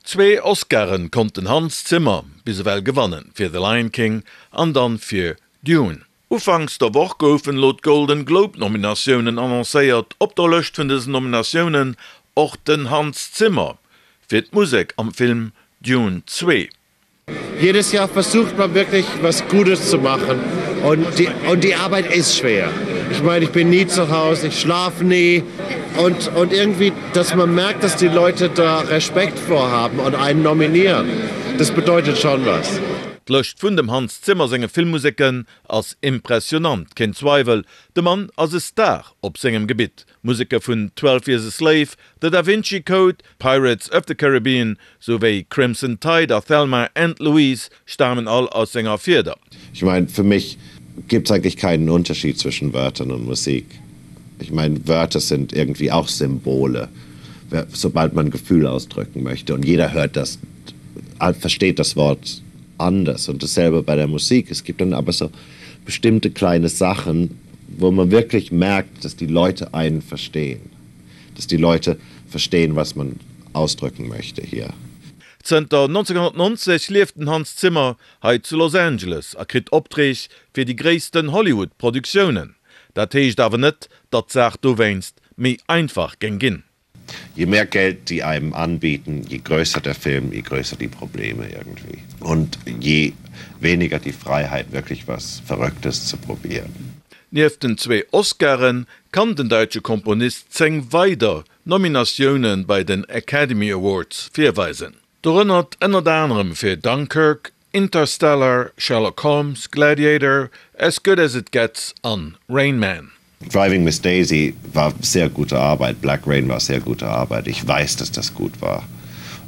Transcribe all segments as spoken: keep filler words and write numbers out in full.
Zwee Oscaren konnt den Hans Zimmer bis ewell gewannen, fir The Lion King an dann fir Dune. Ufanks der Woch goufen elo d'Golden Globe Nominatiounen annoncéiert. Op der Lëscht vun dësen Nominatiounen och den Hans Zimmer fir d'Musek am Film Dune zwee. Jedes Jahr versucht man wirklich was Gutes zu machen und die, und die Arbeit ist schwer. Ich meine, ich bin nie zu Hause, ich schlafe nie und, und irgendwie, dass man merkt, dass die Leute da Respekt vor haben und einen nominieren, das bedeutet schon was. D'Lëscht vun dem Hans Zimmer senge Filmmuseken ass impressionant, keen Zweiwel, de Mann ass e Star op sengem Gebitt. Museke vun Twelve Years a Slave, The Da Vinci Code, Pirates of the Caribbean souwéi Crimson Tide a Thelma and Louise stamen all aus senger Fieder. Ich meine, für mich gibt es eigentlich keinen Unterschied zwischen Wörtern und Musik. Ich meine, Wörter sind irgendwie auch Symbole, sobald man Gefühl ausdrücken möchte und jeder hört das, versteht das Wort anders und dasselbe bei der Musik. Es gibt dann aber so bestimmte kleine Sachen, wo man wirklich merkt, dass die Leute einen verstehen. Dass die Leute verstehen, was man ausdrücken möchte hier. Zënter neunzehnhunnertneunzeg lieft den Hans Zimmer hei zu Los Angeles a kritt Opträg fir déi gréissten Hollywood-Produktiounen. Dat heescht awer net, datt d'Saach dowéinst méi einfach géing ginn. Je mehr Geld die einem anbieten, je größer der Film, je größer die Probleme irgendwie. Und je weniger die Freiheit, wirklich was Verrücktes zu probieren. Nieft den zwee Oscaren kann den däitsche Komponist zéng weider Nominatioune bei den Academy Awards virweisen. Dorënner ënnert anerem fir Dunkirk, Interstellar, Sherlock Holmes, Gladiator, As Good As It Gets an Rain Man. Driving Miss Daisy war sehr gute Arbeit, Black Rain war sehr gute Arbeit. Ich weiß, dass das gut war.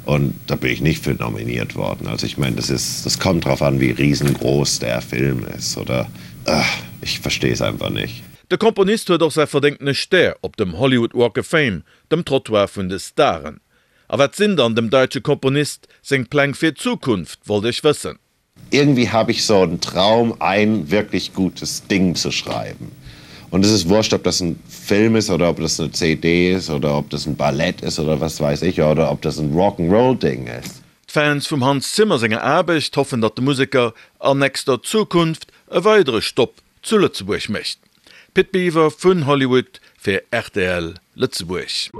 Und da bin ich nicht für nominiert worden. Also ich meine, das ist, das kommt drauf an, wie riesengroß der Film ist oder ach, ich verstehe es einfach nicht. De Komponist huet och säi verdéngtene Stär op dem Hollywood Walk of Fame, dem Trottoir vun de Staren. A wat sinn dann dem däitsche Komponist seng Pläng fir d'Zukunft, wollt ech wëssen. Irgendwie habe ich so einen Traum, ein wirklich gutes Ding zu schreiben. Und es ist wurscht, ob das ein Film ist oder ob das eine C D ist oder ob das ein Ballett ist oder was weiß ich oder ob das ein Rock'n'Roll-Ding ist. D'Fans vum Hans Zimmer senger Aarbecht hoffen, datt de Museker an nächster Zukunft e weidere Stopp zu Lëtzebuerg mécht. Pit Biwer vun Hollywood fir rtl Lëtzebuerg.